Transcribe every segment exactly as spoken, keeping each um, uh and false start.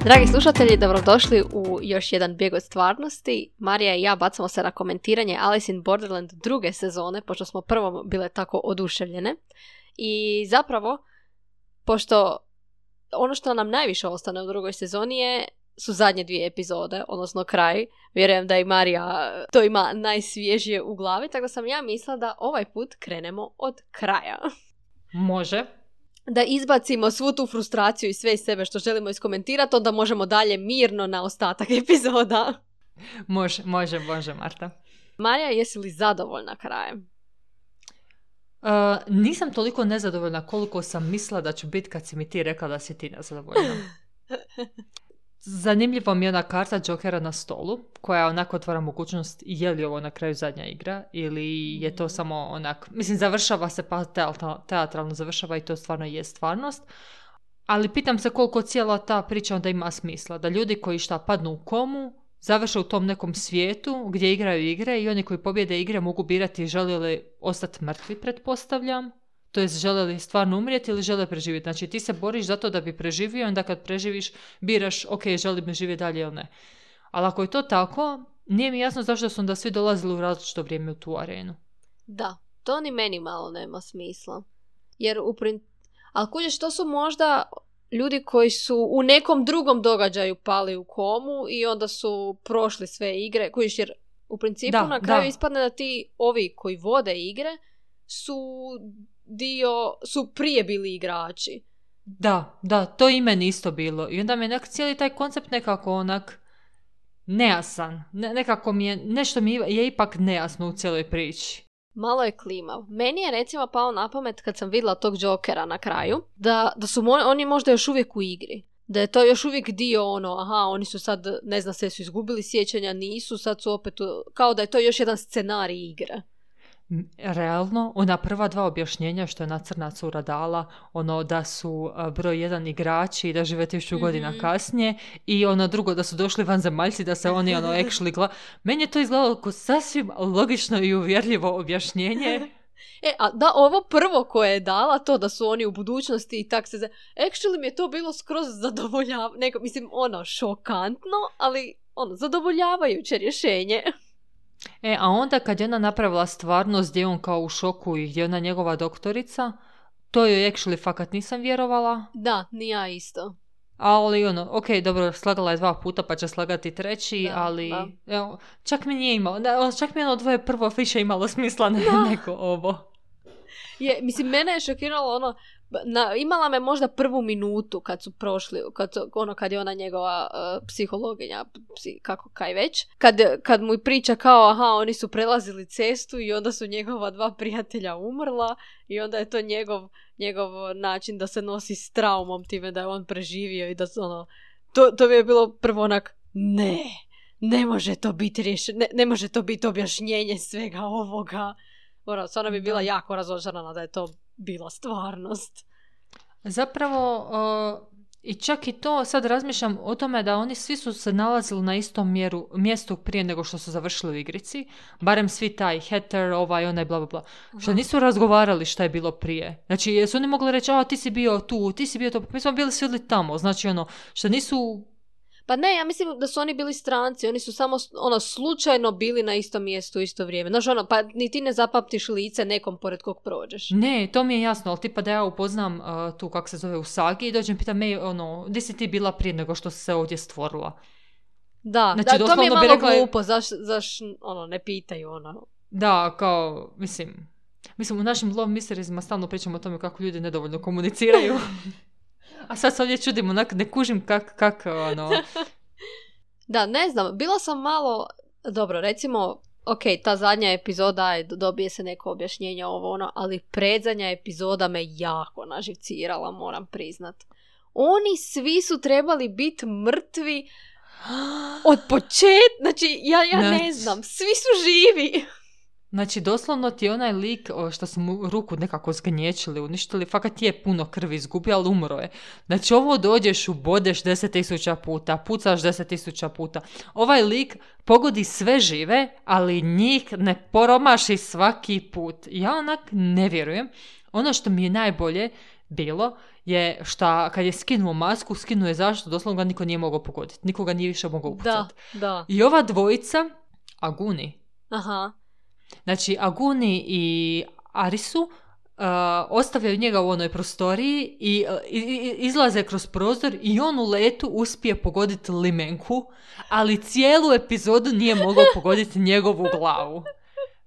Dragi slušatelji, dobrodošli u još jedan bijeg od stvarnosti. Marija i ja bacamo se na komentiranje Alice in Borderland druge sezone, pošto smo prvo bile tako oduševljene. I zapravo, pošto ono što nam najviše ostane u drugoj sezoni je, su zadnje dvije epizode, odnosno kraj. Vjerujem da i Marija to ima najsvježije u glavi, tako da sam ja mislila da ovaj put krenemo od kraja. Može. Da izbacimo svu tu frustraciju i sve iz sebe što želimo iskomentirati, onda možemo dalje mirno na ostatak epizoda. Može, može, može, Marta. Marija, jesi li zadovoljna krajem? Uh, nisam toliko nezadovoljna koliko sam mislila da ću biti kad si mi ti rekla da si ti nezadovoljna. Zanimljiva mi je ona karta Jokera na stolu, koja onako otvara mogućnost je li ovo na kraju zadnja igra ili je to samo onak, mislim završava se pa teatralno završava i to stvarno je stvarnost, ali pitam se koliko cijela ta priča onda ima smisla, da ljudi koji šta padnu u komu završe u tom nekom svijetu gdje igraju igre i oni koji pobjede igre mogu birati žele li ostati mrtvi, pretpostavljam. To jest, žele li stvarno umrijeti ili žele preživjeti. Znači, ti se boriš zato da bi preživio i onda kad preživiš, biraš, ok, želim živjeti dalje ili ne. Ali ako je to tako, nije mi jasno zašto su onda svi dolazili u različito vrijeme u tu arenu. Da, to ni meni malo nema smisla. Jer u prin... Ali kužiš, to su možda ljudi koji su u nekom drugom događaju pali u komu i onda su prošli sve igre. Kužiš, jer u principu da, na kraju da. ispadne da ti ovi koji vode igre su... dio, su prije bili igrači. Da, da, to i meni isto bilo. I onda mi je nek, cijeli taj koncept nekako onak nejasan. Ne, nekako mi je, nešto mi je ipak nejasno u cijeloj priči. Malo je klimav. Meni je recimo pao na pamet kad sam vidjela tog Jokera na kraju, da, da su mo- oni možda još uvijek u igri. Da je to još uvijek dio ono, aha, oni su sad, ne znam, sve su izgubili sjećanja, nisu, sad su opet, u, kao da je to još jedan scenarij igre. Realno, ona prva dva objašnjenja što je na crna cura dala, ono da su broj jedan igrači i da žive tisuću mm-hmm. godina kasnije i ono drugo da su došli vanzemaljci da se oni ono actually gla... Meni je to izgledalo kao sasvim logično i uvjerljivo objašnjenje. E, a da, ovo prvo koje je dala, to da su oni u budućnosti i tak se... Za... Actually mi je to bilo skroz zadovoljavajuće, neko, mislim, ono, šokantno, ali ono, zadovoljavajuće rješenje. E, a onda kad je ona napravila stvarnost gdje on kao u šoku i gdje je ona njegova doktorica, to joj actually fakat nisam vjerovala. Da, ni ja isto. Ali ono, ok, dobro, slagala je dva puta pa će slagati treći, da, ali da. Evo, čak mi nije imalo, da, čak mi je ono dvoje prvo više imalo smisla ne, nego ovo. Je, mislim, mene je šokiralo ono, na, imala me možda prvu minutu kad su prošli, kad, ono, kad je ona njegova uh, psihologinja, psi, kako kaj već, kad, kad mu priča kao, aha, oni su prelazili cestu i onda su njegova dva prijatelja umrla i onda je to njegov, njegov način da se nosi s traumom time da je on preživio i da su, ono, to, to bi je bilo prvo onak, ne, ne može to biti rješenje, ne, ne može to biti objašnjenje svega ovoga. Mora, stvarno bi bila jako razočarana da je to bila stvarnost. Zapravo, uh, i čak i to, sad razmišljam o tome da oni svi su se nalazili na istom mjeru, mjestu prije nego što su završili u igrici. Barem svi taj Heather, ovaj, onaj, bla, bla, bla. Aha. Što nisu razgovarali šta je bilo prije. Znači, jesu oni mogli reći, a ti si bio tu, ti si bio to, mi smo bili svi tamo. Znači, ono, što nisu... Pa ne, ja mislim da su oni bili stranci, oni su samo ono slučajno bili na istom mjestu u isto vrijeme. Znaš ono, pa ni ti ne zapamtiš lice nekom pored kog prođeš. Ne, to mi je jasno, ali tipa da ja upoznam uh, tu kako se zove Usagi i dođem pitam me, ono, gdje si ti bila prije nego što si se ovdje stvorila? Da, znači, da to mi je malo rekla... glupo, zaš, zaš ono, ne pitaju ono. Da, kao, mislim, mislim u našim Love Mysteriesima stalno pričamo o tome kako ljudi nedovoljno komuniciraju. A sad se ovdje čudim, onak ne kužim kak, kak, ono... Da, ne znam, bila sam malo... Dobro, recimo, ok, ta zadnja epizoda, je, dobije se neko objašnjenje ovo ono, ali predzadnja epizoda me jako naživcirala, moram priznat. Oni svi su trebali biti mrtvi od početka, znači, ja, ja ne znam, svi su živi. Znači, doslovno ti je onaj lik što su mu ruku nekako zgnječili, uništili, fakat je puno krvi izgubio, ali umro je. Znači, ovo dođeš, ubodeš deset tisuća puta, pucaš deset tisuća puta. Ovaj lik pogodi sve žive, ali njih ne poromaši svaki put. Ja onak ne vjerujem. Ono što mi je najbolje, bilo je šta kad je skinuo masku, skinuo je zašto, doslovno ga niko nije mogao pogoditi. Nikoga nije više mogao upucati. Da, da. I ova dvojica, Aguni, Aha. znači Aguni i Arisu, uh, ostavljaju njega u onoj prostoriji i, i, i izlaze kroz prozor i on u letu uspije pogoditi limenku, ali cijelu epizodu nije mogao pogoditi njegovu glavu.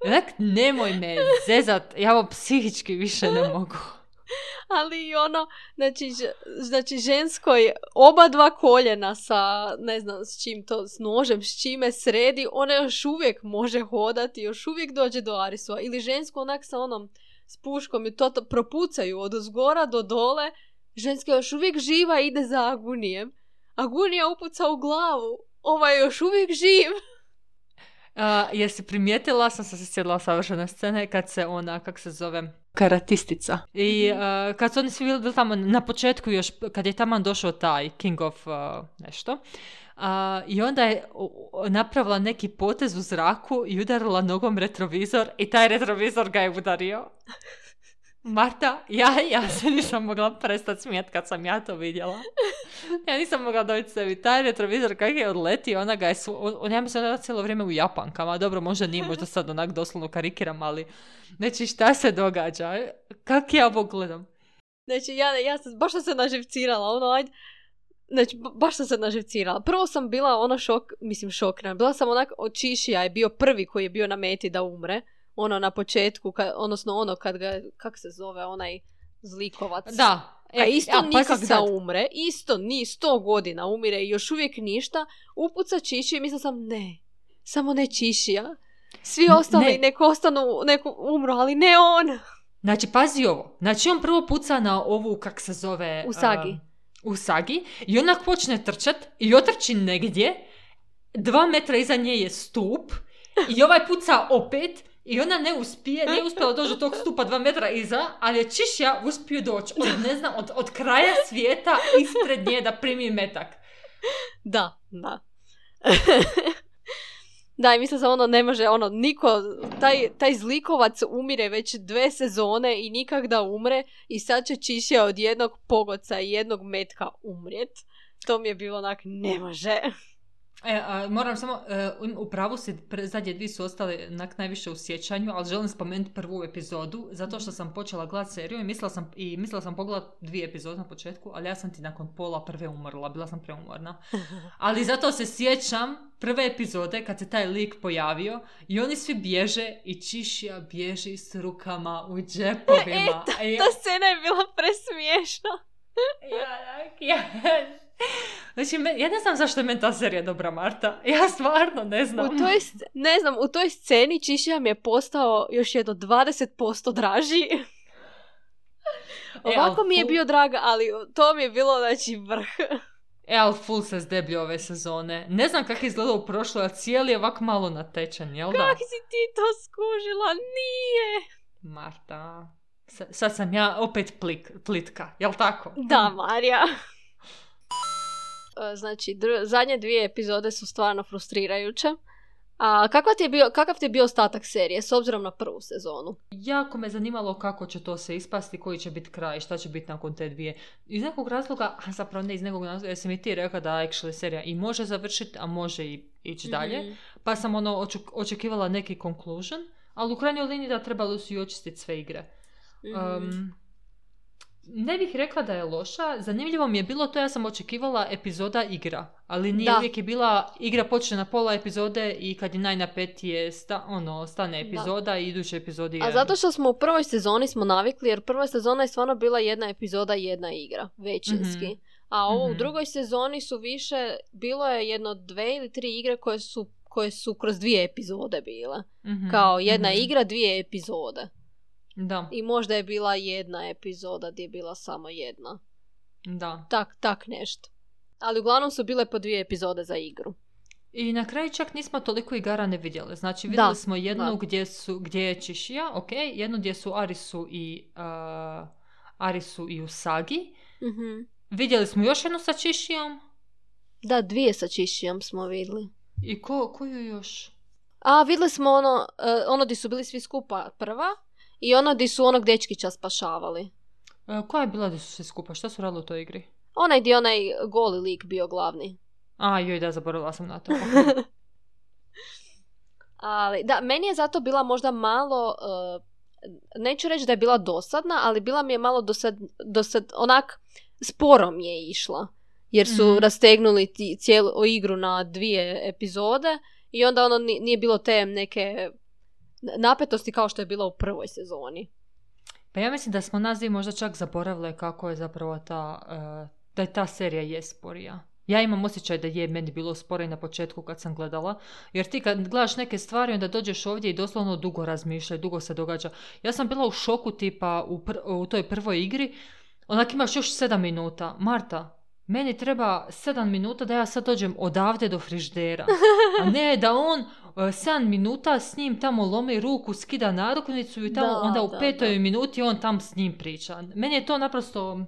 Onak, nemoj me zezat, ja ovo psihički više ne mogu. Ali i ono, znači, znači žensko je oba dva koljena sa, ne znam s čim to, s nožem, s čime sredi, ona još uvijek može hodati, još uvijek dođe do Arisova. Ili žensko onak sa onom, s puškom i to, to propucaju od uzgora do dole, ženska još uvijek živa i ide za Agunijem. Agunija upuca u glavu, ovaj je još uvijek živ. Uh, jesi primijetila, sam se sjedila savršene scene kad se ona, kak se zove, karatistica. I uh, kad su oni svi bili, bili tamo na početku još, kad je tamo došao taj King of uh, nešto, uh, i onda je uh, napravila neki potez u zraku i udarila nogom retrovizor i taj retrovizor ga je udario. Marta, ja, ja se nisam mogla prestati smijeti kad sam ja to vidjela. Ja nisam mogla dobiti sebi. Taj retrovizor kak je odletio, ona ga je, su, on, ja mislim da je cijelo vrijeme u japankama. Dobro, možda nije, možda sad onak doslovno karikiram, ali znači šta se događa? Kak ja ovo gledam? Znači, ja, ja sam, baš sam se naživcirala, ono, ajde. Znači, baš sam se naživcirala. Prvo sam bila ono šok, mislim šokna. Bila sam onak, Čišija je bio prvi koji je bio na meti da umre. Ono na početku, ka, odnosno ono kad ga, kak se zove, onaj zlikovac. Da. E, a isto ja, nikak da umre, isto ni sto godina umire i još uvijek ništa. Upuca Čišiju i mislila sam, ne, samo ne Čišija. Svi ostali ne. Neko ostanu, neko umru, ali ne on. Znači, pazi ovo. Znači, on prvo puca na ovu, kak se zove... Usagi. Uh, Usagi. I onak počne trčat i otrči negdje. Dva metra iza nje je stup. I ovaj puca opet. I ona ne uspije, nije uspjela doći do tog stupa dva metra iza, ali je Čišija uspio doći od, ne znam, od, od kraja svijeta ispred nje da primi metak. Da, da. Da, i mislim da ono ne može, ono, niko, taj, taj zlikovac umire već dve sezone i nikak da umre i sad će Čišija od jednog pogoca i jednog metka umrijet. To mi je bilo onak, ne može. E, a, moram samo, e, u pravu si, pre, zadnje dvije su ostale nak najviše u sjećanju, ali želim spomenuti prvu epizodu, zato što sam počela gledati seriju i mislila sam, i mislila sam pogledati dvije epizode na početku, ali ja sam ti nakon pola prve umrla, bila sam preumorna. Ali zato se sjećam prve epizode kad se taj lik pojavio i oni svi bježe i Čišija bježi s rukama u džepovima. E, ta, ja... ta scena je bila presmiješna. ja, ja, znači, ja ne znam zašto je meni ta serija dobra, Marta. Ja stvarno ne znam. U toj, ne znam, u toj sceni Čišija mi je postao još jedno dvadeset posto draži. Ovako e, mi je full... bio drag, ali to mi je bilo, znači, vrh. E, ali full se zdeblje ove sezone. Ne znam kako je izgledao u prošloj, a cijeli je ovako malo natečan, jel da? Kako si ti to skužila? Nije! Marta, S- sad sam ja opet plik, plitka, jel tako? Da, Marija. Znači, dr- zadnje dvije epizode su stvarno frustrirajuće. A kakav ti je bio, kakav ti je bio ostatak serije s obzirom na prvu sezonu? Jako me zanimalo kako će to se ispasti, koji će biti kraj, šta će biti nakon te dvije. Iz nekog razloga, a zapravo ne iz nekog razloga, jer sam i ti rekla da actually serija i može završiti, a može i ići dalje. Mm-hmm. Pa sam ono oček- očekivala neki conclusion, ali u krajnjoj liniji da trebalo su i očistiti sve igre. Mm-hmm. Um, Ne bih rekla da je loša. Zanimljivo mi je bilo to, ja sam očekivala epizoda igra. Ali nije da. Uvijek je bila igra počne na pola epizode i kad je najnapetije sta, ono, stane epizoda da. I iduće epizodi igra. A zato što smo u prvoj sezoni smo navikli, jer prva sezona je stvarno bila jedna epizoda i jedna igra. Većinski. Mm-hmm. A ovo mm-hmm. u drugoj sezoni su više, bilo je jedno dve ili tri igre koje su, koje su kroz dvije epizode bile. Mm-hmm. Kao jedna mm-hmm. igra, dvije epizode. Da. I možda je bila jedna epizoda gdje je bila samo jedna. Da. Tak, tak nešto. Ali uglavnom su bile po dvije epizode za igru. I na kraju čak nismo toliko igara ne vidjeli. Znači vidjeli da. smo jednu da. gdje, su, gdje je Čišija, ok, jednu gdje su Arisu i uh, Arisu i Usagi. Mm-hmm. Vidjeli smo još jednu sa Čišijom. Da, dvije sa Čišijom smo vidjeli. I ko, koju još? A, vidjeli smo ono, uh, ono gdje su bili svi skupa prva. I ono gdje su onog dečkića spašavali. E, koja je bila da su svi skupa? Šta su radili u toj igri? Onaj gdje onaj goli lik bio glavni. A, joj, da, zaboravila sam na to. Okay. Ali, da, meni je zato bila možda malo, uh, neću reći da je bila dosadna, ali bila mi je malo dosad, dosad onak, sporo mi je išla. Jer su mm-hmm. rastegnuli ti, cijelu igru na dvije epizode i onda ono nije bilo te neke napetosti kao što je bilo u prvoj sezoni. Pa ja mislim da smo nas dvije možda čak zaboravile kako je zapravo ta, uh, da je ta serija je sporija. Ja imam osjećaj da je meni bilo sporo i na početku kad sam gledala, jer ti kad gledaš neke stvari onda dođeš ovdje i doslovno dugo razmišljaj, dugo se događa. Ja sam bila u šoku tipa u, pr- u toj prvoj igri, onak imaš još sedam minuta. Marta, meni treba sedam minuta da ja sad dođem odavde do friždera, a ne da on uh, sedam minuta s njim tamo lomi ruku, skida narukvicu i tamo da, onda u da, petoj da. minuti on tam s njim priča. Meni je to naprosto,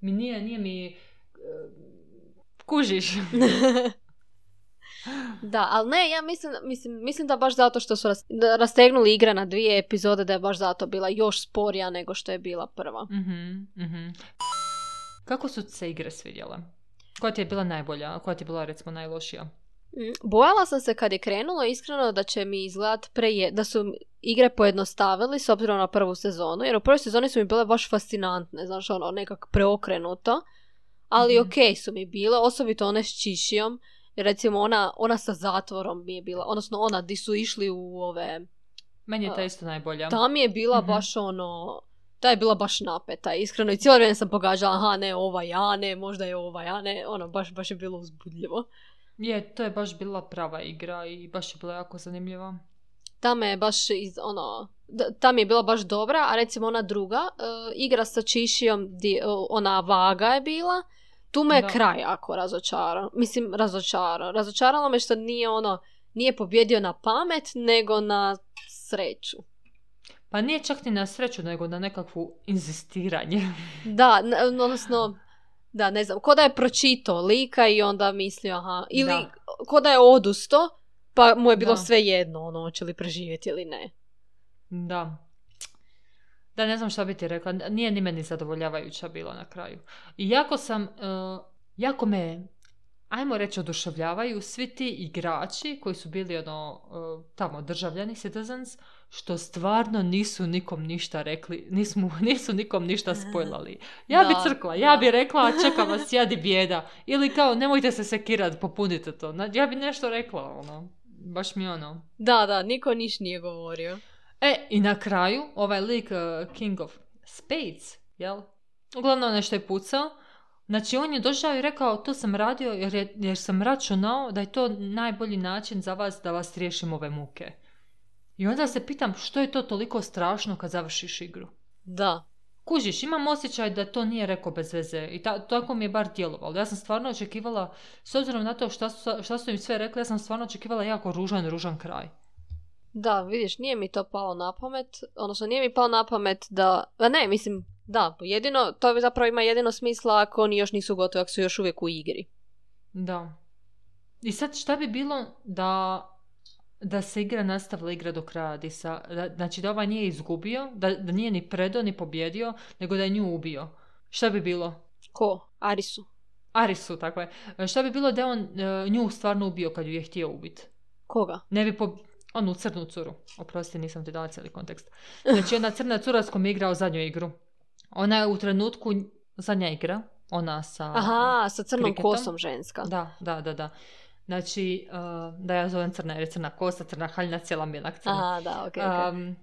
mi nije, nije mi... Uh, kužiš. Da, ali ne, ja mislim, mislim, mislim da baš zato što su ras, da rastegnuli igra na dvije epizode, da je baš zato bila još sporija nego što je bila prva. Mm-hmm, mm-hmm. Kako su se igre svidjele? Koja ti je bila najbolja? Koja ti je bila recimo najlošija? Bojala sam se kad je krenulo iskreno da će mi izgledat preje, da su igre pojednostavili s obzirom na prvu sezonu, jer u prvoj sezoni su mi bile baš fascinantne, znaš, ono, nekak preokrenuto. Ali mm-hmm. okej okay su mi bile, osobito one s Čišijom, recimo ona, ona sa zatvorom mi je bila, odnosno ona di su išli u ove... Meni je ta isto najbolja. Ta mi je bila mm-hmm. baš ono, ta je bila baš napeta, iskreno, i cijelo vrijeme sam pogađala, aha ne, ova ja, ne, možda je ova ja, ne, ono, baš, baš je bilo uzbudljivo. Je, to je baš bila prava igra i baš je bila jako zanimljiva. Ta me je baš iz, ono, ta mi je bila baš dobra, a recimo ona druga, uh, igra sa Čišijom, di, uh, ona vaga je bila, tu me je da. kraj jako razočarao. Mislim, razočarao. Razočaralo me što nije ono, nije pobjedio na pamet, nego na sreću. Pa nije čak ni na sreću, nego na nekakvu inzistiranje. Da, odnosno, da, ne znam, ko da je pročitao lika i onda mislio, aha, ili da. ko da je odusto, pa mu je bilo da. sve jedno, ono, hoće li preživjeti ili ne. Da. Da, ne znam šta bi ti rekla. Nije ni meni zadovoljavajuća bila na kraju. I jako sam, uh, jako me, ajmo reći, oduševljavaju svi ti igrači koji su bili ono, uh, tamo državljani, citizens, što stvarno nisu nikom ništa rekli, nismo, nisu nikom ništa spojlali. Ja da, bi crkla, ja da. bi rekla, čeka vas jadi bijeda. Ili kao, nemojte se sekirat, popunite to. Ja bi nešto rekla, ono, baš mi ono. Da, da, niko niš nije govorio. E, i na kraju, ovaj lik uh, King of Spades, jel? Uglavnom nešto je pucao. Znači, on je došao i rekao, to sam radio jer, je, jer sam računao da je to najbolji način za vas da vas riješim ove muke. I onda se pitam, što je to toliko strašno kad završiš igru? Da. Kužiš, imam osjećaj da to nije rekao bez veze i ta, tako mi je bar djelovalo. Ja sam stvarno očekivala, s obzirom na to šta su, šta su im sve rekli, ja sam stvarno očekivala jako ružan, ružan kraj. Da, vidiš, nije mi to palo na pamet, odnosno nije mi palo na pamet da, a ne, mislim, da, jedino, to zapravo ima jedino smisla ako oni još nisu gotovi, ako su još uvijek u igri. Da. I sad šta bi bilo da, da se igra nastavila igra do kraja, Disa, da, znači da ovaj nije izgubio, da, da nije ni predao ni pobjedio, nego da je nju ubio. Šta bi bilo? Ko? Arisu. Arisu, tako je. Šta bi bilo da on uh, nju stvarno ubio kad ju je htio ubiti? Koga? Ne bi po... Onu crnu curu. Oprosti, nisam ti dala cijeli kontekst. Znači, ona crna cura s kojom je igrao zadnju igru. Ona je u trenutku zadnja igra. Ona sa... Aha, sa crnom kriketom. kosom ženska. Da, da, da, da. Znači, uh, da ja zovem crna, jer je crna kosa, crna haljina, cijela mi je onak crna. Aha, da, okej, okay, okay. um,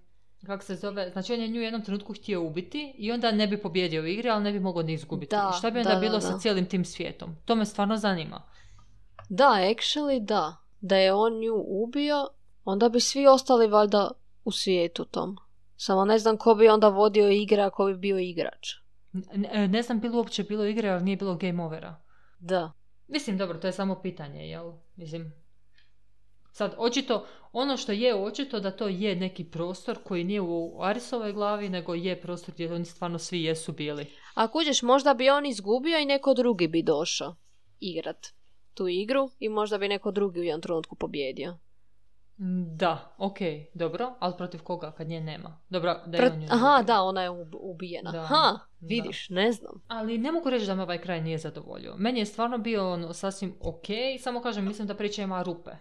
Kako se zove? Znači, on je nju u jednom trenutku htio ubiti i onda ne bi pobjedio u igri, ali ne bi mogao ni izgubiti. Da, šta bi onda da, bilo da, da. sa cijelim tim svijetom? To me stvarno zanima. Da, actually, da. Da je on nju ubio, onda bi svi ostali valjda u svijetu tom. Samo ne znam ko bi onda vodio igre ako bi bio igrač. Ne, ne znam bilo uopće bilo igre, ali nije bilo game overa. Da. Mislim, dobro, to je samo pitanje, jel? Mislim, sad, očito, ono što je očito da to je neki prostor koji nije u Arisovoj glavi, nego je prostor gdje oni stvarno svi jesu bili. A kuđeš, možda bi on izgubio i neko drugi bi došao igrat tu igru i možda bi neko drugi u jednom trenutku pobjedio. Da, ok, dobro, ali protiv koga kad nje nema? Dobro, da je Prat... on nju Aha, ubio. da, ona je ub- ubijena. Da, Ha, vidiš, da. ne znam. Ali ne mogu reći da me ovaj kraj nije zadovoljio. Meni je stvarno bio ono, sasvim ok, samo kažem, mislim da priča ima rupe.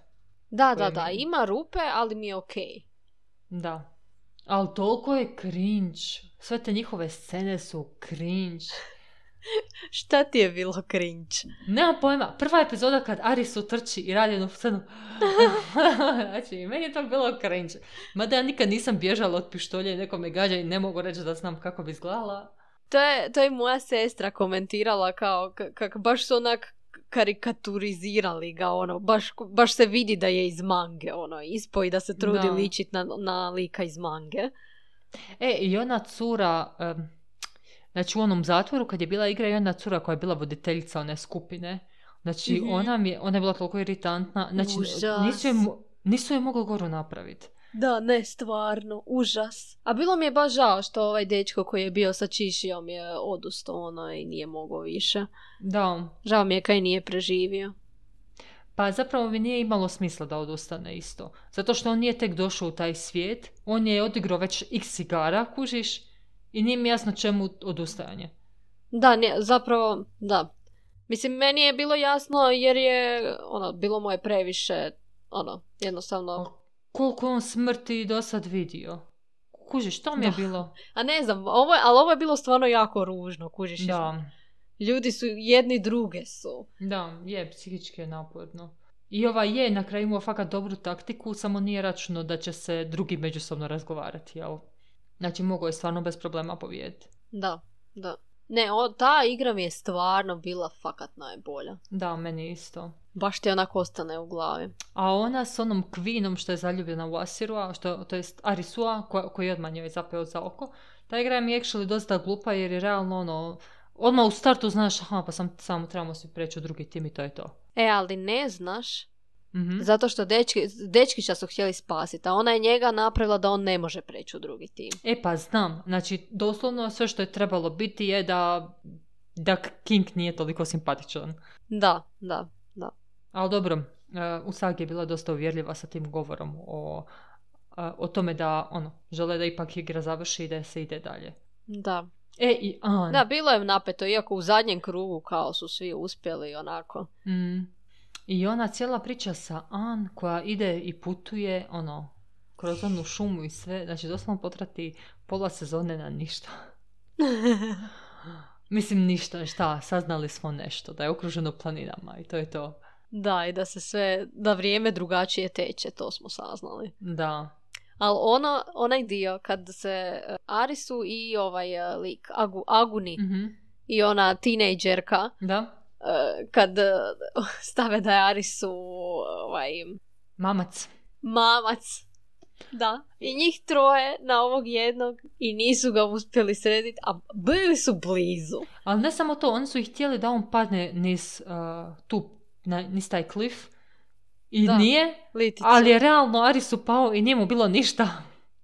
Da, koje da, da, mi- ima rupe, ali mi je okej. Da. Ali toliko je cringe. Sve te njihove scene su cringe. Šta ti je bilo cringe? Nemam pojma. Prva epizoda kad Arisu trči i radi jednu scenu. Znači, meni je to bilo cringe. Mada ja nikad nisam bježala od pištolja i neko me gađa i ne mogu reći da znam kako bi izgledala. To je, to je moja sestra komentirala kao k- kak baš su onak karikaturizirali ga, ono, baš, baš se vidi da je iz mange, ono, ispo i da se trudi Da. ličit na, na lika iz mange. E, i ona cura, em, znači u onom zatvoru kad je bila igra i ona cura koja je bila voditeljica one skupine, znači Mhm. ona, mi je, ona je bila toliko iritantna, znači Užas. nisu je, mo- nisu je mogli goru napraviti. Da, ne, stvarno, užas. A bilo mi je baš žao što ovaj dečko koji je bio sa Čišijom je odustao, ono, i nije mogao više. Da, Žao mi je kaj nije preživio. pa zapravo mi nije imalo smisla da odustane isto. Zato što on nije tek došao u taj svijet, on je odigrao već x igara, kužiš, i nije mi jasno čemu odustajanje. Da, ne, zapravo, da. Mislim, meni je bilo jasno jer je, ono, bilo mu je previše, ono, jednostavno... Koliko je on smrti do sad vidio? Kužiš, to mi je Da. bilo... A ne znam, ovo je, ali ovo je bilo stvarno jako ružno, kužiš. Da, Ljudi su, jedni druge su. da, je, psihički je naporno. I ova je na kraju imao fakat dobru taktiku, samo nije računao da će se drugi međusobno razgovarati, jel? Znači, mogao je stvarno bez problema pobijediti. Da, da. Ne, o, ta igra mi je stvarno bila fakat najbolja. Da, meni isto. Baš ti onako ostane u glavi. A ona s onom Kvinom što je zaljubljena u Asirua, što, to jest Arisua, ko, koji odmah njoj zapeo za oko, ta igra mi je actually dosta glupa jer je realno ono, odmah u startu znaš, aha, pa sam, samo trebamo svi preći u drugi tim i to je to. E, ali ne znaš, Mhm. zato što dečki, dečkića su htjeli spasiti, a ona je njega napravila da on ne može preći u drugi tim. E pa znam, znači doslovno sve što je trebalo biti je da, da King nije toliko simpatičan. Da, da, da. Ali dobro, uh, Usagi je bila dosta uvjerljiva sa tim govorom o, uh, o tome da ono, žele da ipak igra završi i da se ide dalje. Da. E i An. Da, bilo je napeto, iako u zadnjem krugu kao su svi uspjeli onako. Mm. I ona cijela priča sa An koja ide i putuje ono, kroz onu šumu i sve, znači doslovno potrati pola sezone na ništa. Mislim ništa, šta, saznali smo nešto, da je okruženo planinama i to je to. Da, i da se sve, da vrijeme drugačije teče, to smo saznali. Da. Ali ono, onaj dio kad se uh, Arisu i ovaj uh, lik, Agu, Aguni Mhm. i ona tinejdžerka, Da. uh, kad uh, stave da je Arisu ovaj, Mamac. mamac, da, i njih troje na ovog jednog i nisu ga uspjeli srediti, a bili su blizu. Ali ne samo to, oni su ih htjeli da on padne niz uh, tu, na, niz taj klif i Da. nije, Liticu. ali je realno Arisu pao i nije mu bilo ništa.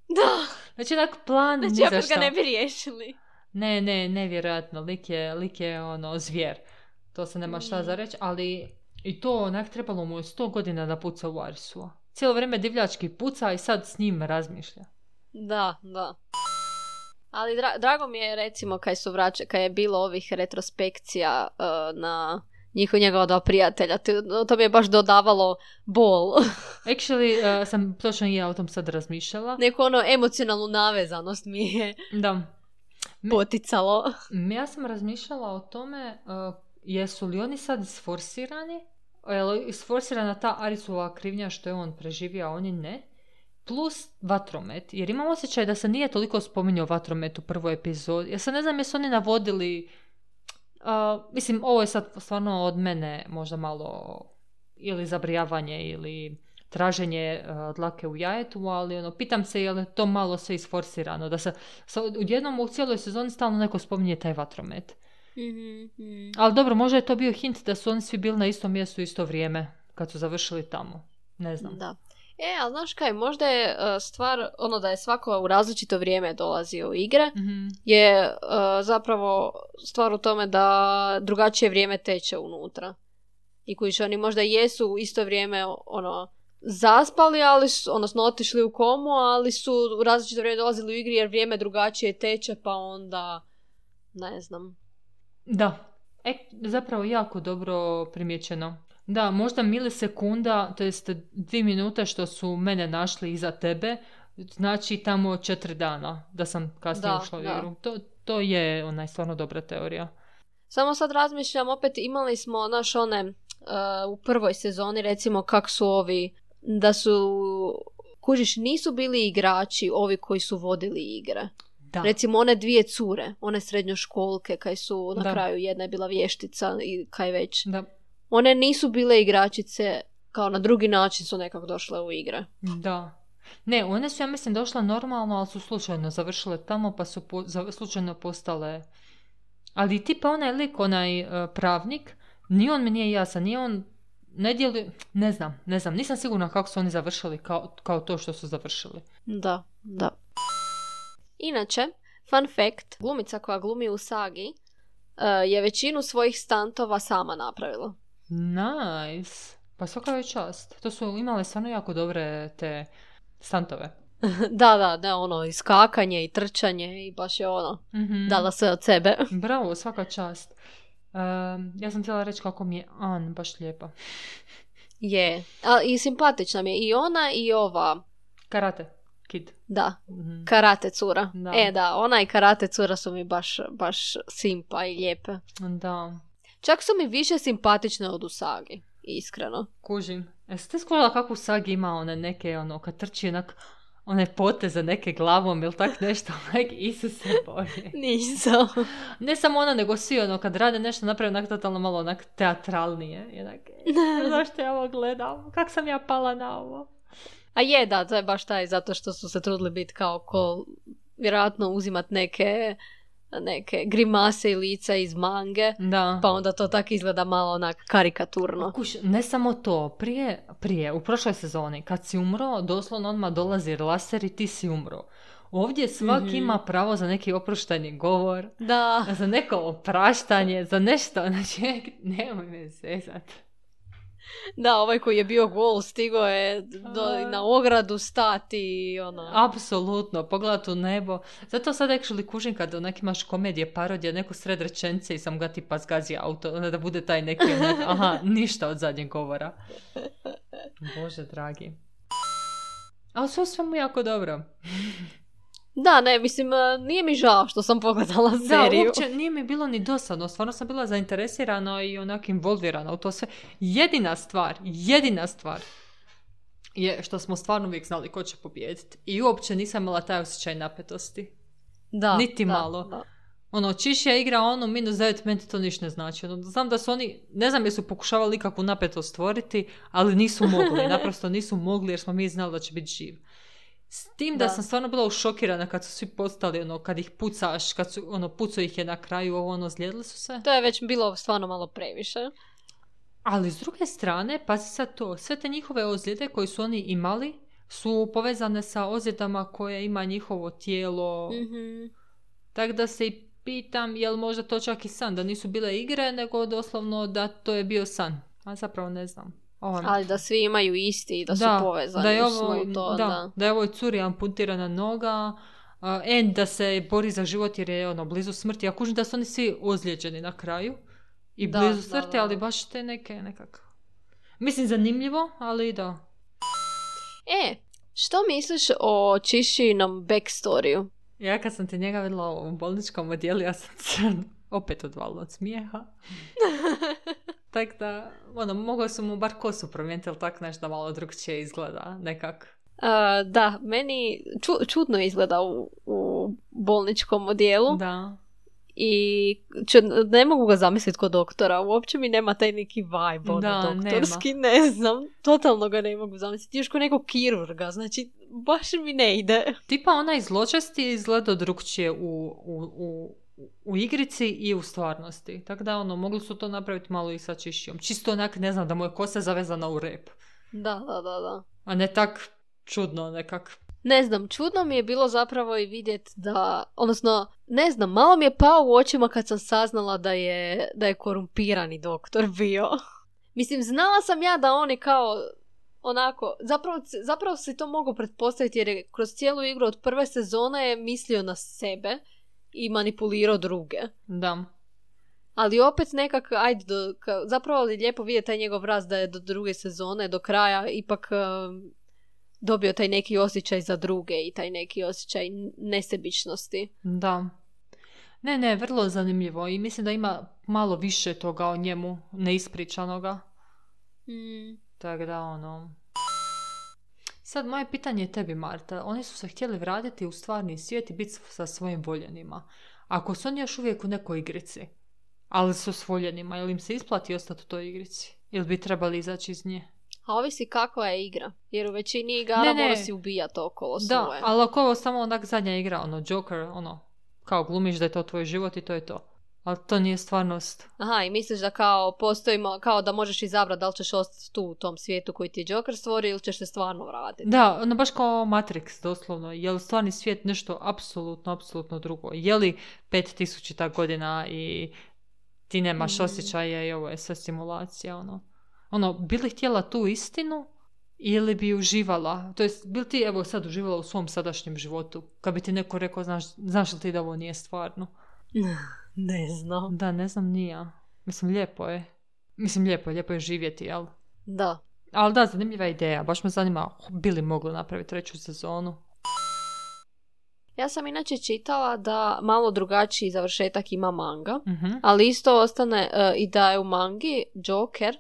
Da, Znači, onak plan ni znači za opet ga šta. ne bi riješili. Ne, ne, nevjerojatno. Lik je, lik je ono, zvijer. To se nema šta Mm. za reći, ali i to onak trebalo mu je sto godina da puca u Arisua. Cijelo vrijeme divljački puca i sad s njim razmišlja. Da, da. Ali dra- drago mi je recimo kad su vraća, kad je bilo ovih retrospekcija uh, na njihova njegova dva prijatelja. To, to mi je baš dodavalo bol. Actually, uh, sam točno i ja o tom sad razmišljala. Neku ono emocionalnu navezanost mi je Da. Me- poticalo. Ja sam razmišljala o tome uh, jesu li oni sad isforsirani, je li isforsirana ta Arisova krivnja što je on preživio, a oni ne, plus vatromet, jer imam osjećaj da se nije toliko spominjao vatromet u prvoj epizodi. Ja sad ne znam jesu oni navodili, uh, mislim ovo je sad stvarno od mene možda malo ili zabrijavanje ili traženje uh, dlake u jajetu, ali ono, pitam se je li to malo sve isforsirano, da se sa, odjednom u cijeloj sezoni stalno neko spominje taj vatromet. Mm-hmm. Ali dobro, možda je to bio hint da su oni svi bili na istom mjestu u isto vrijeme kad su završili tamo. Ne znam. Da. E, ali znaš kaj, možda je uh, stvar, ono da je svako u različito vrijeme dolazio u igre, Mhm. je uh, zapravo stvar u tome da drugačije vrijeme teče unutra. I koji oni možda jesu u isto vrijeme ono zaspali, ali su, odnosno otišli u komu, ali su u različito vrijeme dolazili u igri jer vrijeme drugačije teče, pa onda ne znam. Da, e, zapravo jako dobro primjećeno. Da, možda milisekunda, to jest dvije minute što su mene našli iza tebe, znači tamo četiri dana da sam kasnije da, ušla u da. igru. To, to je onaj stvarno dobra teorija. Samo sad razmišljam, opet imali smo, naš one, uh, u prvoj sezoni, recimo, kak su ovi, da su, kužiš, nisu bili igrači ovi koji su vodili igre. Da. Recimo, one dvije cure, one srednjoškolke, kaj su na Da. kraju, jedna je bila vještica i kaj već. Da. One nisu bile igračice, kao na drugi način su nekako došle u igre. Da. Ne, one su, ja mislim, došle normalno, ali su slučajno završile tamo, pa su po, za, slučajno postale... Ali tipa onaj lik, onaj uh, pravnik, ni on mi nije jasan, ni on ne djeluje... Ne znam, ne znam, nisam sigurna kako su oni završili kao, kao to što su završili. Da, da. Inače, fun fact, glumica koja glumi u sagi uh, je većinu svojih stantova sama napravila. Nice. Pa svaka je čast. To su imale stvarno jako dobre te stantove. Da, da, da, ono, i skakanje i trčanje i baš je ono, Mm-hmm. dala sve od sebe. Bravo, svaka čast. Um, ja sam htjela reći kako mi je An baš lijepa. Je, a i simpatična mi je i ona i ova, Karate Kid. da, Mm-hmm. karate cura. Da. E, da, ona i karate cura su mi baš, baš simpa i lijepe. Da, Čak su mi više simpatične od Usagi, iskreno. kužim. Jeste ste skužila kako u Sagi ima one neke, ono, kad trči onak, one poteze neke glavom ili tak nešto, onak, Isuse Bože. Nisam. Ne samo ona, nego svi, ono, kad rade nešto, naprave onak totalno malo onak teatralnije. I onak, e, zašto ja ovo gledam? Kak sam ja pala na ovo? A je, da, to je baš taj, zato što su se trudili biti kao ko, vjerojatno uzimat neke, neke grimase i lica iz mange, Da. pa onda to tako izgleda malo onak karikaturno. Kuš, ne samo to, prije, prije, u prošloj sezoni, kad si umro, doslovno odmah dolazi laser i ti si umro. Ovdje svak Mhm. ima pravo za neki oprošteni govor, Da, za neko opraštanje, za nešto, znači, nemoj me zezat. da, ovaj koji je bio gol stigao je do, A. na ogradu stati i ono... Apsolutno, pogledat u nebo. Zato sad actually kužim kad onak imaš komedije, parodije, neko sred rečence i sam ga tipa zgazi auto, onda da bude taj neki onak, aha, ništa od zadnjeg govora. Bože dragi. Ali sve u svemu jako dobro. Da, ne, mislim, eh, nije mi žao što sam pogledala Da, seriju. uopće nije mi bilo ni dosadno, stvarno sam bila zainteresirana i onak involvirana u to sve. Jedina stvar, jedina stvar je što smo stvarno uvijek znali ko će pobijediti. I uopće nisam imala taj osjećaj napetosti. Da, Niti da, malo. da. Ono, Čišija igra ono minus devet, meni to ništa ne znači. Ono, znam da su oni, ne znam jesu pokušavali ikakvu napetost stvoriti, ali nisu mogli, naprosto nisu mogli jer smo mi znali da će biti živ. S tim da, Da. sam stvarno bila ušokirana kad su svi postali, ono, kad ih pucaš, kad su, ono, pucao ih je na kraju, ovo, ono, zlijedili su se. To je već bilo stvarno malo previše. Ali s druge strane, pazi sad to, sve te njihove ozljede koje su oni imali su povezane sa ozljedama koje ima njihovo tijelo. Mhm. Tako da se i pitam, je li možda to čak i san, da nisu bile igre, nego doslovno da to je bio san. A zapravo ne znam. Ovo, Ali da svi imaju isti i da, su povezani da je u ovo, snu to, da, da. da je ovoj curi amputirana noga, uh, en da se bori za život jer je ono, blizu smrti. Ja kužim da su oni svi ozlijeđeni na kraju i Da, blizu da, smrti, da. ali baš te neke nekak... Mislim, zanimljivo, ali da. E, što misliš o Čišinom backstoriju? Ja kad sam te njega vidjela u bolničkom odjelu, ja sam se opet odvalila od smijeha. Tako da, ono, mogao su mu bar kosu promijeniti, ali tak nešto malo drugčije izgleda, nekak. Uh, da, meni ču, čudno izgleda u, u bolničkom odjelu Da. i ču, ne mogu ga zamisliti kod doktora. Uopće mi nema taj neki vibe ono, Da, doktorski, ne znam. Totalno ga ne mogu zamisliti. Još ko nekog kirurga, znači baš mi ne ide. Tipa onaj zločesti izgleda drugčije u, u, u, u igrici i u stvarnosti. Tako da, ono, mogli su to napraviti malo i sa Čišijom. Čisto onak, ne znam, da mu je kosa zavezana u rep. Da, da, da, da. A ne tak čudno nekak. Ne znam, čudno mi je bilo zapravo i vidjeti da, odnosno, ne znam, malo mi je pao u očima kad sam saznala da je, da je korumpirani doktor bio. Mislim, znala sam ja da oni kao, onako, zapravo, zapravo si to mogu pretpostaviti jer je kroz cijelu igru od prve sezone je mislio na sebe i manipulirao druge. Da. Ali opet nekak, ajde, do, ka, zapravo je lijepo vidjeti taj njegov rast da je do druge sezone, do kraja, ipak um, dobio taj neki osjećaj za druge i taj neki osjećaj nesebičnosti. Da. Ne, ne, vrlo zanimljivo i mislim da ima malo više toga o njemu, neispričanoga. Mm. Tako da, ono... Sad, moje pitanje je tebi, Marta. Oni su se htjeli vratiti u stvarni svijet i biti sa svojim voljenima. Ako su oni još uvijek u nekoj igrici, ali su s voljenima, ili im se isplati ostati u toj igrici? Ili bi trebali izaći iz nje? A ovisi kakva je igra. Jer u većini igara mora si ubijati okolo svoje. Da, ali ako ovo samo onak zadnja igra, ono, Joker, ono, kao glumiš da je to tvoj život i to je to. Ali to nije stvarnost. Aha, i misliš da kao postoji, kao da možeš izabrati da li ćeš ostati tu u tom svijetu koji ti je Joker stvorio ili ćeš se stvarno vratiti. Da, ono baš kao Matrix, doslovno. Je li stvarni svijet nešto apsolutno, apsolutno drugo? Je li pet tisuća godina i ti nemaš mm. osjećaje i ovo je sve simulacija, ono. Ono, bi li htjela tu istinu ili bi uživala? To jest, bi li ti evo sad uživala u svom sadašnjem životu? Kad bi ti neko rekao, znaš, znaš li ti da ovo nije stvarno? Ne znam. Da, ne znam, nije. Mislim, lijepo je. Mislim, lijepo je, lijepo je živjeti, jel? Da. Ali da, zanimljiva ideja. Baš me zanima, bi li mogli napraviti treću sezonu? Ja sam inače čitala da malo drugačiji završetak ima manga, uh-huh. ali isto ostane uh, i da je u mangi Joker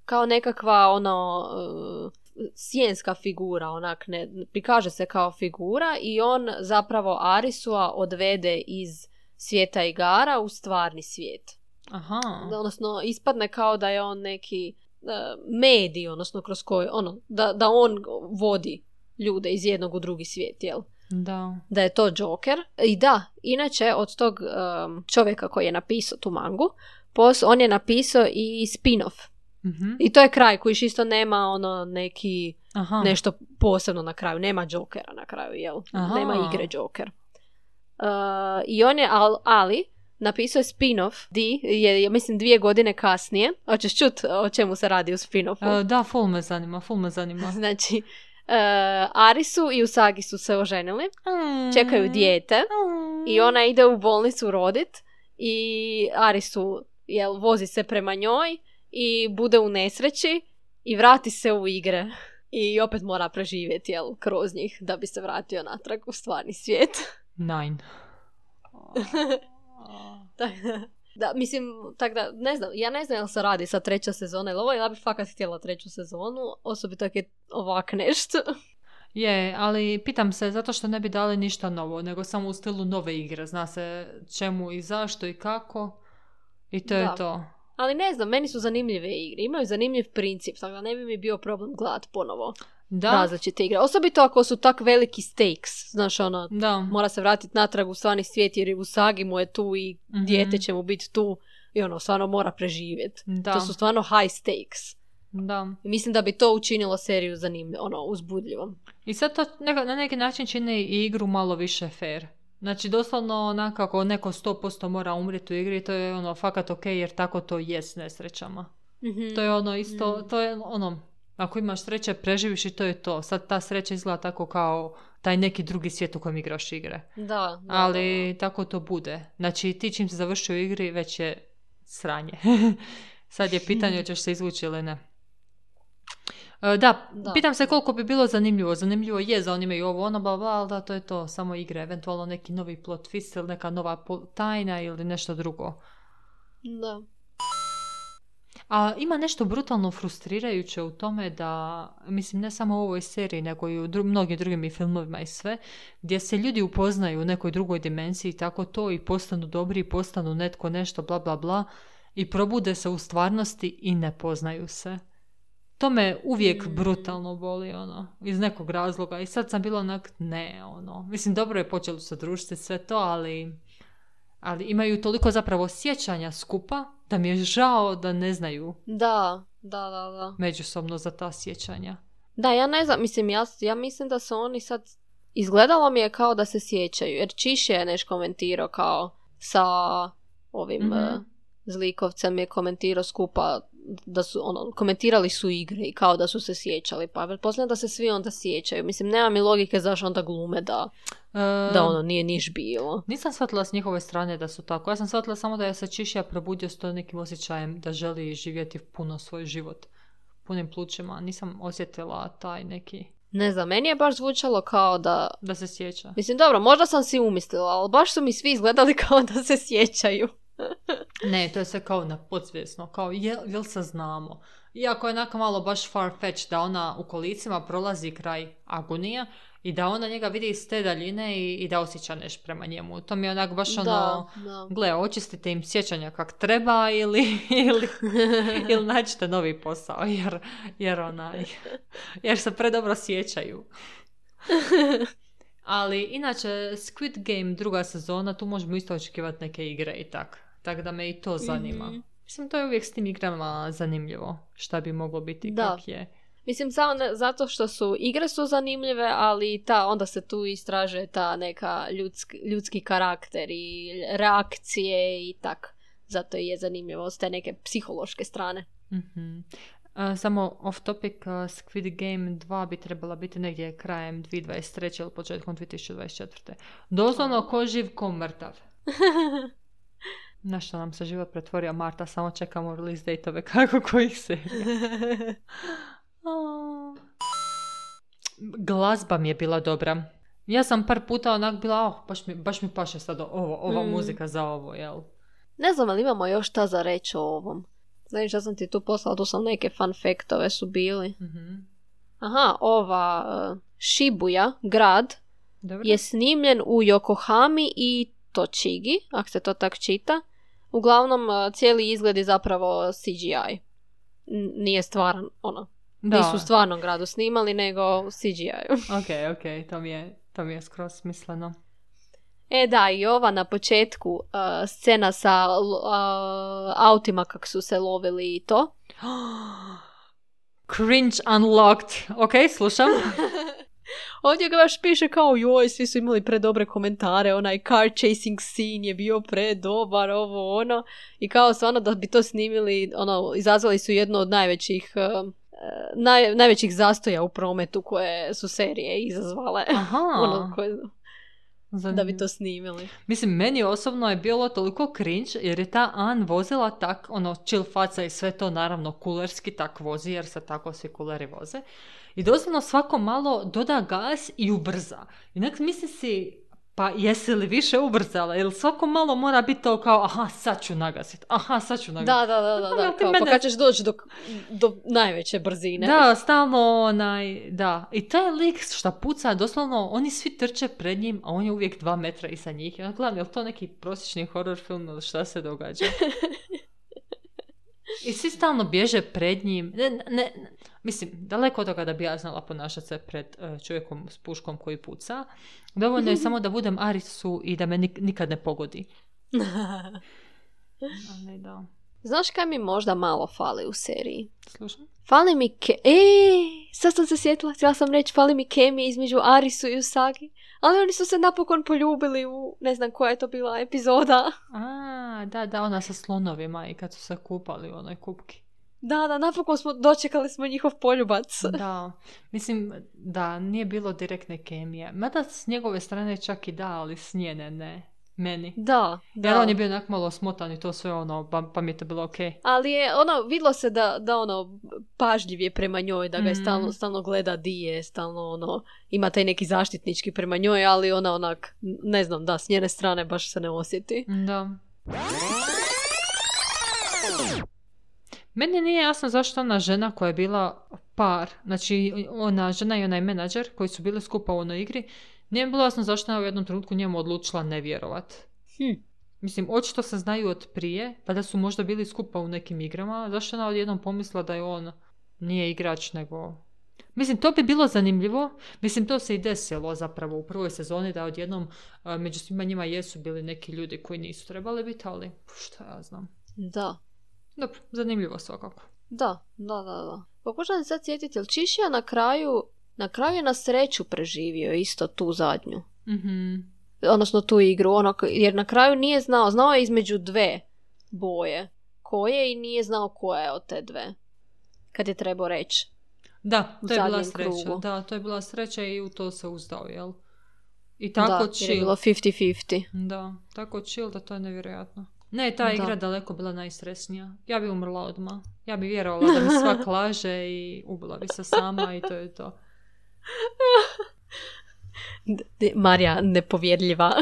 kao nekakva ono uh, sjenska figura, onak ne, prikaže se kao figura i on zapravo Arisua odvede iz svijeta igara u stvarni svijet. Aha. Odnosno, ispadne kao da je on neki uh, medij, odnosno kroz koji, ono, da, da on vodi ljude iz jednog u drugi svijet, jel? Da. Da je to Joker. I da, inače, od tog um, čovjeka koji je napisao tu mangu, pos, on je napisao i spin-off. Mm-hmm. I to je kraj koji isto nema ono neki Aha. nešto posebno na kraju. Nema Jokera na kraju, jel? Aha. Nema igre Joker. Uh, I on je, al, ali, napisao je spin-off, di je, je, mislim, dvije godine kasnije. Hoćeš čut o čemu se radi u spin-offu? Uh, da, ful me zanima, ful me zanima. Znači, uh, Arisu i Usagi su se oženili, mm. čekaju dijete mm. i ona ide u bolnicu rodit i Arisu, jel, vozi se prema njoj i bude u nesreći i vrati se u igre. I opet mora preživjeti, jel, kroz njih da bi se vratio natrag u stvarni svijet. Nine. Da, mislim, tak da, ne znam, ja ne znam jel se radi sa treća sezona ili ovo, ja bih fakat htjela treću sezonu, osobito ako je ovak nešto. Je, ali pitam se zato što ne bi dali ništa novo, nego samo u stilu nove igre, zna se čemu i zašto i kako i to da. Je to. Ali ne znam, meni su zanimljive igre, imaju zanimljiv princip, tako da ne bi mi bio problem gledat ponovo. Da. Različite igre. Osobito ako su tak veliki stakes. Znaš, ono, da. Mora se vratiti natrag u stvarni svijet jer u Usagi mu je tu i mm-hmm. dijete će mu biti tu i ono, stvarno mora preživjeti. Da. To su stvarno high stakes. Da. I mislim da bi to učinilo seriju zanimljivom, ono, uzbudljivom. I sad to neka, na neki način čini i igru malo više fair. Znači, doslovno onako ako neko sto posto mora umriti u igri, to je ono, fakat ok, jer tako to je s nesrećama. Mm-hmm. To je ono isto, mm. to je ono, ako imaš sreće, preživiš i to je to. Sad ta sreća izgleda tako kao taj neki drugi svijet u kojem igraš igre. Da, da. Ali tako to bude. Znači, ti čim se završi u igri, već je sranje. Sad je pitanje hoćeš se izvući ili ne. Da, da, pitam se koliko bi bilo zanimljivo. Zanimljivo je za oni imaju ovo, ono, bla, bla, ali da, to je to. Samo igre, eventualno neki novi plot twist ili neka nova tajna ili nešto drugo. Da. A ima nešto brutalno frustrirajuće u tome da, mislim, ne samo u ovoj seriji, nego i u dru- mnogim drugim i filmovima i sve, gdje se ljudi upoznaju u nekoj drugoj dimenziji, tako to, i postanu dobri, i postanu netko nešto, bla, bla, bla, i probude se u stvarnosti i ne poznaju se. To me uvijek mm. brutalno boli, ono, iz nekog razloga. I sad sam bila onak, ne, ono, mislim, dobro je počelo se družiti sve to, ali, ali imaju toliko zapravo sjećanja skupa, da mi je žao da ne znaju da, da, da, da. međusobno za ta sjećanja. Da, ja ne znam, mislim, ja, ja mislim da su oni sad, izgledalo mi je kao da se sjećaju, jer Čiš je nešto komentirao kao sa ovim mm-hmm. uh, zlikovcem je komentirao skupa da su, ono, komentirali su igre i kao da su se sjećali, pa pretpostavljam da se svi onda sjećaju. Mislim, nema mi logike zašto onda glume da, E, da ono nije niš bilo. Nisam shvatila s njihove strane da su tako. Ja sam shvatila samo da je se Čišija probudio s to nekim osjećajem da želi živjeti puno svoj život punim plućima. Nisam osjetila taj neki... Ne znam, meni je baš zvučalo kao da... Da se sjeća. Mislim, dobro, možda sam si umislila, ali baš su mi svi izgledali kao da se sjećaju. Ne, to je sve kao na podsvjesno, kao jel, jel se znamo. Iako je onako malo baš far-fetched da ona u kolicima prolazi kraj agonija i da ona njega vidi iz te daljine i, i da osjeća nešto prema njemu. To mi je onako baš ono, Da, da. gle, očistite im sjećanja kak treba ili, ili, ili nađite novi posao, jer, jer, onaj, jer se predobro sjećaju. Ali inače, Squid Game druga sezona, tu možemo isto očekivati neke igre i tak. Tako da me i to zanima. Mhm. Mislim, to je uvijek s tim igrama zanimljivo. Šta bi moglo biti, Da. kak je. Mislim, samo ne, zato što su igre su zanimljive, ali ta, onda se tu istraže ta neka ljudski, ljudski karakter i reakcije i tak. Zato je zanimljivo s te neke psihološke strane. Mhm. A, samo off topic, uh, Squid Game dva bi trebala biti negdje krajem dvije tisuće dvadeset treće ili početkom dvije tisuće dvadeset četvrte. Doslovno ko živ, ko mrtav. Na što nam se život pretvorio, Marta, samo čekamo release date-ove kako kojih serija. A. Glazba mi je bila dobra. Ja sam par puta onak bila, oh, baš mi, baš mi paše sad ovo, ova Mm. muzika za ovo, jel? Ne znam, ali imamo još šta za reći o ovom. Znaš, ja sam ti tu poslala, tu sam neke fun faktove su bili. Mhm. Aha, ova uh, Shibuya, grad, Dobro. je snimljen u Yokohami i Tochigi, ako se to tak čita. Uglavnom, uh, cijeli izgled je zapravo C G I. N- nije stvaran, ono, Da. nisu u stvarnom gradu snimali, nego u C G I-u. Ok, ok, to mi je, to mi je skroz smisleno. E da, i ova na početku uh, scena sa uh, autima kak su se lovili i to. Cringe unlocked. Ok, slušam. Ovdje ga baš piše kao joj, svi su imali predobre komentare, onaj car chasing scene je bio predobar, ovo ono. I kao stvarno da bi to snimili, ono, izazvali su jedno od najvećih, uh, naj, najvećih zastoja u prometu koje su serije izazvale. Aha. ono, koje, da bi Zanimljivo. to snimili. Mislim, meni osobno je bilo toliko cringe jer je ta Ann vozila tak, ono, chill faca i sve to naravno kulerski tak vozi jer se tako svi kuleri voze. I doslovno svako malo doda gas i ubrza. I nek misli si, pa jesi li više ubrzala? Jer svako malo mora biti to kao, aha, sad ću nagasiti, aha, sad ću nagasiti. Da, da, da, da, da, Ono, ti kao, pa mene- kad ćeš doći do, do najveće brzine. Da, stalno onaj, da. I taj lik šta puca, doslovno, oni svi trče pred njim, a on je uvijek dva metra iza njih. I onda gledam, je li to neki prosječni horror film ili šta se događa? I svi stalno bježe pred njim. Ne, ne, ne. Mislim, daleko od toga da bi ja znala ponašati se pred uh, čovjekom s puškom koji puca. Dovoljno je samo da budem Arisu i da me nik- nikad ne pogodi. Ali da. Znaš kaj mi možda malo fali u seriji? Slušam? Fali mi ke... E, sad sam se sjetila, htjela sam reći, fali mi kemije između Arisu i Usagi. Ali oni su se napokon poljubili u, ne znam koja je to bila epizoda. A, da, da, ona sa slonovima i kad su se kupali u onoj kupki. Da, da, napokon smo, dočekali smo njihov poljubac. Da, mislim, da, nije bilo direktne kemije. Mada s njegove strane čak i da, ali s njene ne. Meni. Da, da. Jer on je bio onak malo smotan i to sve ono, pa, pa mi je to bilo okej. Ali je, ono, vidlo se da, da ono, pažljiv je prema njoj, da ga je Mhm. stalno, stalno gleda di je, stalno, ono, ima taj neki zaštitnički prema njoj, ali ona onak, ne znam, da, s njene strane baš se ne osjeti. Da. Meni nije jasno zašto ona žena koja je bila par, znači ona žena i onaj menadžer koji su bili skupa u onoj igri, nije mi bilo jasno zašto ona u jednom trenutku njemu odlučila ne vjerovat. Hm. Mislim, očito se znaju od prije, pa da su možda bili skupa u nekim igrama, zašto ona odjednom pomislila da je on nije igrač, nego... Mislim, to bi bilo zanimljivo. Mislim, to se i desilo zapravo u prvoj sezoni, da odjednom a, među svima njima jesu bili neki ljudi koji nisu trebali biti, ali šta ja znam. Da. Dobro, zanimljivo svakako. Da, da, da, da. Pokušam se sad sjetiti, jel Čišija na kraju, na kraju je na sreću preživio isto tu zadnju. Mhm. Odnosno tu igru, ono, jer na kraju nije znao, znao je između dve boje ko je i nije znao ko je od te dve. Kad je trebao reći. Da, to je bila sreća. Krugu. Da, to je bila sreća i u to se uzdao, jel? I tako da, chill. Da, je bilo fifty fifty. Da, tako chill da to je nevjerojatno. Ne, ta igra da. daleko bila najstresnija. Ja bi umrla odmah. Ja bi vjerovala da mi svak laže i ubila bi se sama i to je to. Marija, nepovjerljiva.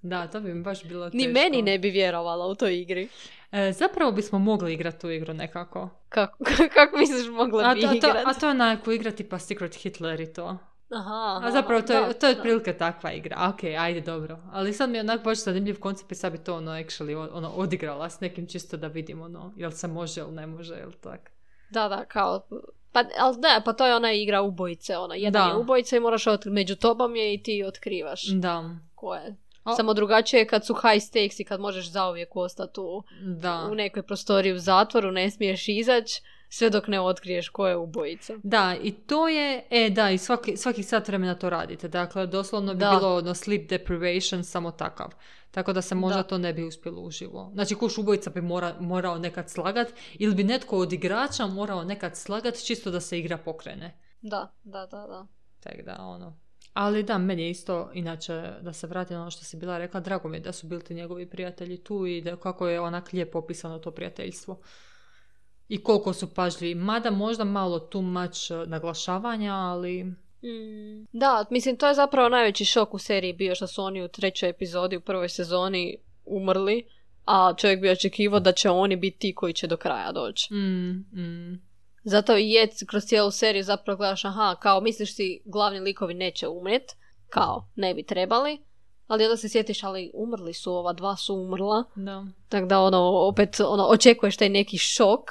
Da, to bi mi baš bilo teško. Ni meni ne bi vjerovala u toj igri. E, zapravo bismo mogli igrati tu igru nekako. Kako, kako misliš mogla bi igrati? A to je onako igra tipa Secret Hitler i to. Aha, a zapravo to je, da, to je otprilike takva igra. Ok, ajde, dobro. Ali sad mi je onak baš zanimljiv koncept i sad bi to ono actually ono, odigrala s nekim čisto da vidim ono, jel se može ili ne može, jel tak. Da, da, kao... Pa, ali ne, pa to je ona igra ubojice, ona. Jedan da. je ubojica i moraš otkri... među tobom je i ti otkrivaš. Da. Ko je. O. Samo drugačije je kad su high stakes i kad možeš zauvijek ostati u, u nekoj prostoriji u zatvoru, ne smiješ izaći. Sve dok ne otkriješ ko je ubojica. Da, i to je, e da, i svaki, svaki sat vremena to radite. Dakle, doslovno bi da. bilo ono sleep deprivation samo takav. Tako da se možda da. to ne bi uspjelo uživo. Znači, kuš ubojica bi mora, morao nekad slagat ili bi netko od igrača morao nekad slagat čisto da se igra pokrene. Da, da, da, da. Tako da, ono. Ali da, meni je isto, inače, da se vrati na ono što si bila rekla, drago mi je da su bili ti njegovi prijatelji tu i da kako je onak lijepo opisano to prijateljstvo. I koliko su pažljivi. Mada možda malo too much naglašavanja, ali... Mm. Da, mislim, to je zapravo najveći šok u seriji bio što su oni u trećoj epizodi, u prvoj sezoni umrli, a čovjek bi očekivao da će oni biti ti koji će do kraja doći. Mm, mm. Zato i je kroz cijelu seriju zapravo gledaš, aha, kao misliš si glavni likovi neće umret, kao ne bi trebali, ali onda se sjetiš, ali umrli su, ova dva su umrla. Da. Tako da ono, opet ono, očekuješ taj neki šok.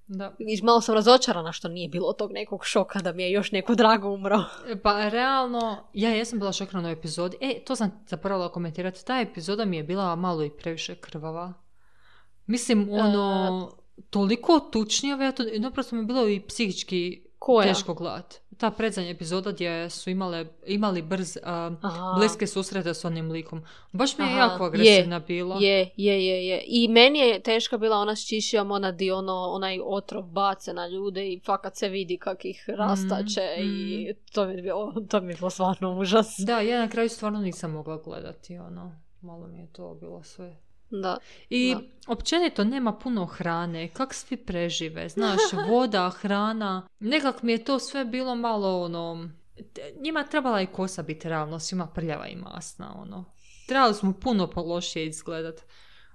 Da. I malo sam razočarana što nije bilo tog nekog šoka da mi je još neko drago umro. Pa realno, ja jesam bila šokirana u epizodi. E, to sam zaboravila komentirati. Ta epizoda mi je bila malo i previše krvava. Mislim, ono, uh, toliko tučnjava, ja to, naprosto mi je bilo i psihički koja? Teško gledati. Ta predzadnja epizoda gdje su imale, imali brz, uh, bliske susrete s onim likom. Baš mi je Aha. jako agresivna je, bila. Je, je, je, je. I meni je teška bila ona s čišijom, ona di ono, onaj otrov bace na ljude i fakat se vidi kak ih rastače mm, i mm. to mi je bilo, to mi je bilo stvarno užas. Da, ja na kraju stvarno nisam mogla gledati, ono, malo mi je to bilo sve. Da, I da. općenito nema puno hrane, kak svi prežive, znaš, voda, hrana, nekak mi je to sve bilo malo ono, njima trebala i kosa biti realno, svima prljava i masna, ono, trebali smo puno lošije izgledat.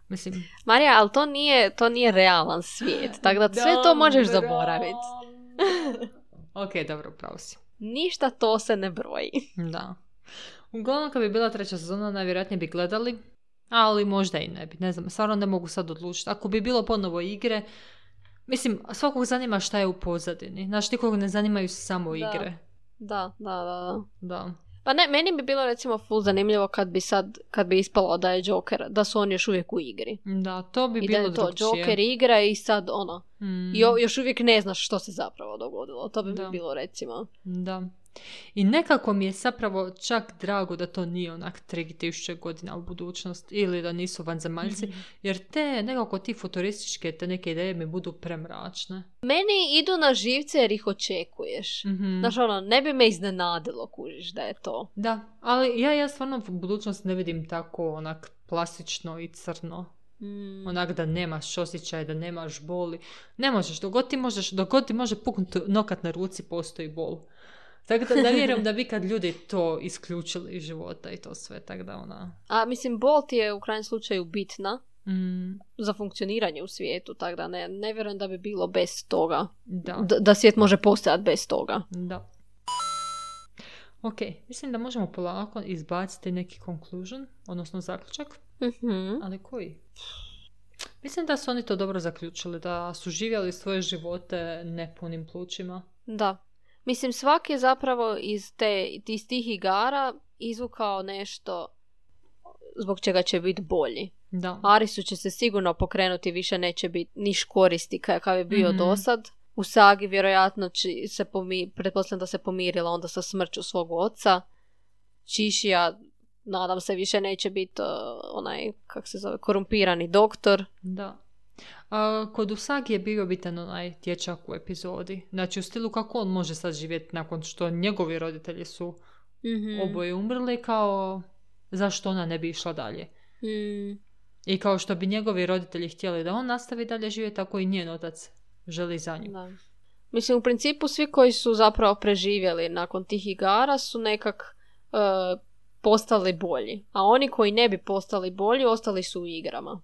Mislim. Marija, ali to nije, to nije realan svijet, tako da sve to možeš zaboraviti. Ok, dobro, pravo si. Ništa to se ne broji. Da. Uglavnom, kad bi bila treća sezona, najvjerojatnije bi gledali, ali možda i ne bi, ne znam, stvarno ne mogu sad odlučiti. Ako bi bilo ponovo igre, mislim, svakog zanima šta je u pozadini. Znaš, nikog ne zanimaju samo igre. Da, da, da, da. da. Pa ne, meni bi bilo recimo full zanimljivo kad bi sad, kad bi ispalo da je Joker, da su oni još uvijek u igri. Da, to bi I bilo drugčije. I da je to drugčije. Joker igra i sad ono, mm. jo, još uvijek ne znaš što se zapravo dogodilo. To bi da. mi bilo recimo. Da. I nekako mi je zapravo čak drago da to nije onak tri tisuće godina u budućnost ili da nisu vanzemaljci, mm-hmm. jer te nekako ti futurističke te neke ideje mi budu premračne. Meni idu na živce jer ih očekuješ. Mm-hmm. Znaš ono, ne bi me iznenadilo kužiš da je to. Da, ali ja, ja stvarno u budućnost ne vidim tako onak plastično i crno. Mm. Onak da nemaš osjećaj, da nemaš boli. Ne možeš, dok god ti, možeš, dok god ti može puknuti nokat na ruci, postoji bol. Tako da ne vjerujem da bi kad ljudi to isključili iz života i to sve, tako da ona... A mislim, bol ti je u krajnjem slučaju bitna mm. za funkcioniranje u svijetu, tako da ne, ne vjerujem da bi bilo bez toga. Da. D- da svijet može postojati bez toga. Da. Ok, mislim da možemo polako izbaciti neki conclusion, odnosno zaključak. Mm-hmm. Ali koji? Mislim da su oni to dobro zaključili, da su živjeli svoje živote nepunim plućima. Da. Mislim, svaki je zapravo iz, te, iz tih igara izvukao nešto zbog čega će biti bolji. Da. Arisu će se sigurno pokrenuti, više neće biti niš koristi kakav je bio mm-hmm. dosad. U sagi vjerojatno će se pomi, pretpostavljam da se pomirila onda sa smrću svog oca. Čišija, nadam se, više neće biti uh, onaj, kak se zove, korumpirani doktor. Da. A, kod Usagi je bio bitan onaj dječak u epizodi. Znači u stilu kako on može sad živjeti nakon što njegovi roditelji su mm-hmm. oboje umrli, kao zašto ona ne bi išla dalje. Mm. I kao što bi njegovi roditelji htjeli da on nastavi dalje živjeti, tako i njen otac želi za nju. Da. Mislim, u principu svi koji su zapravo preživjeli nakon tih igara su nekak uh, postali bolji. A oni koji ne bi postali bolji, ostali su u igrama.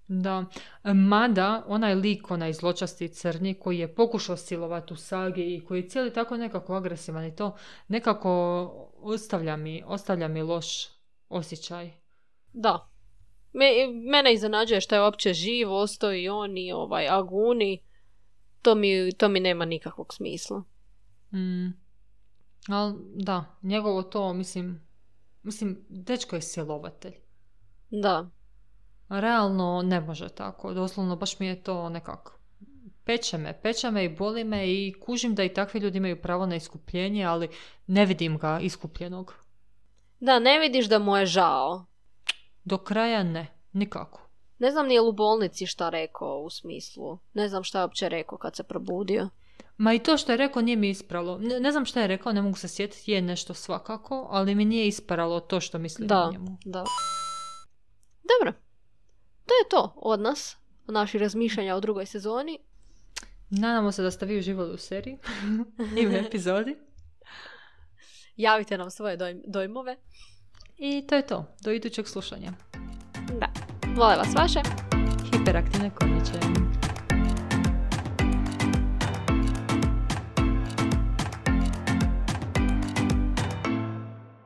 Da. Mada, onaj lik, onaj zločasti crni koji je pokušao silovati Usagi i koji je cijeli tako nekako agresivan i to nekako ostavlja mi, ostavlja mi loš osjećaj. Da. Me, mene iznenađuje što je uopće živ, ostao i on i ovaj Aguni. To mi, to mi nema nikakvog smisla. Mm. Ali da, njegovo to, mislim, mislim, dečko je silovatelj. Da. Realno ne može tako. Doslovno baš mi je to nekako. Peče me, peče me i boli me i kužim da i takvi ljudi imaju pravo na iskupljenje, ali ne vidim ga iskupljenog. Da, ne vidiš da mu je žao. Do kraja ne, nikako. Ne znam nije li u bolnici šta rekao u smislu. Ne znam šta je uopće rekao kad se probudio. Ma i to što je rekao nije mi ispralo. Ne, ne znam šta je rekao, ne mogu se sjetiti, je nešto svakako, ali mi nije ispralo to što mislim da, o njemu. Da, dobro. To je to od nas, o naših razmišljanja o drugoj sezoni. Nadamo se da ste vi uživali u seriji i u epizodi. Javite nam svoje doj- dojmove. I to je to. Do idućeg slušanja. Da. Vole vas vaše. Hiperaktivne konjiće.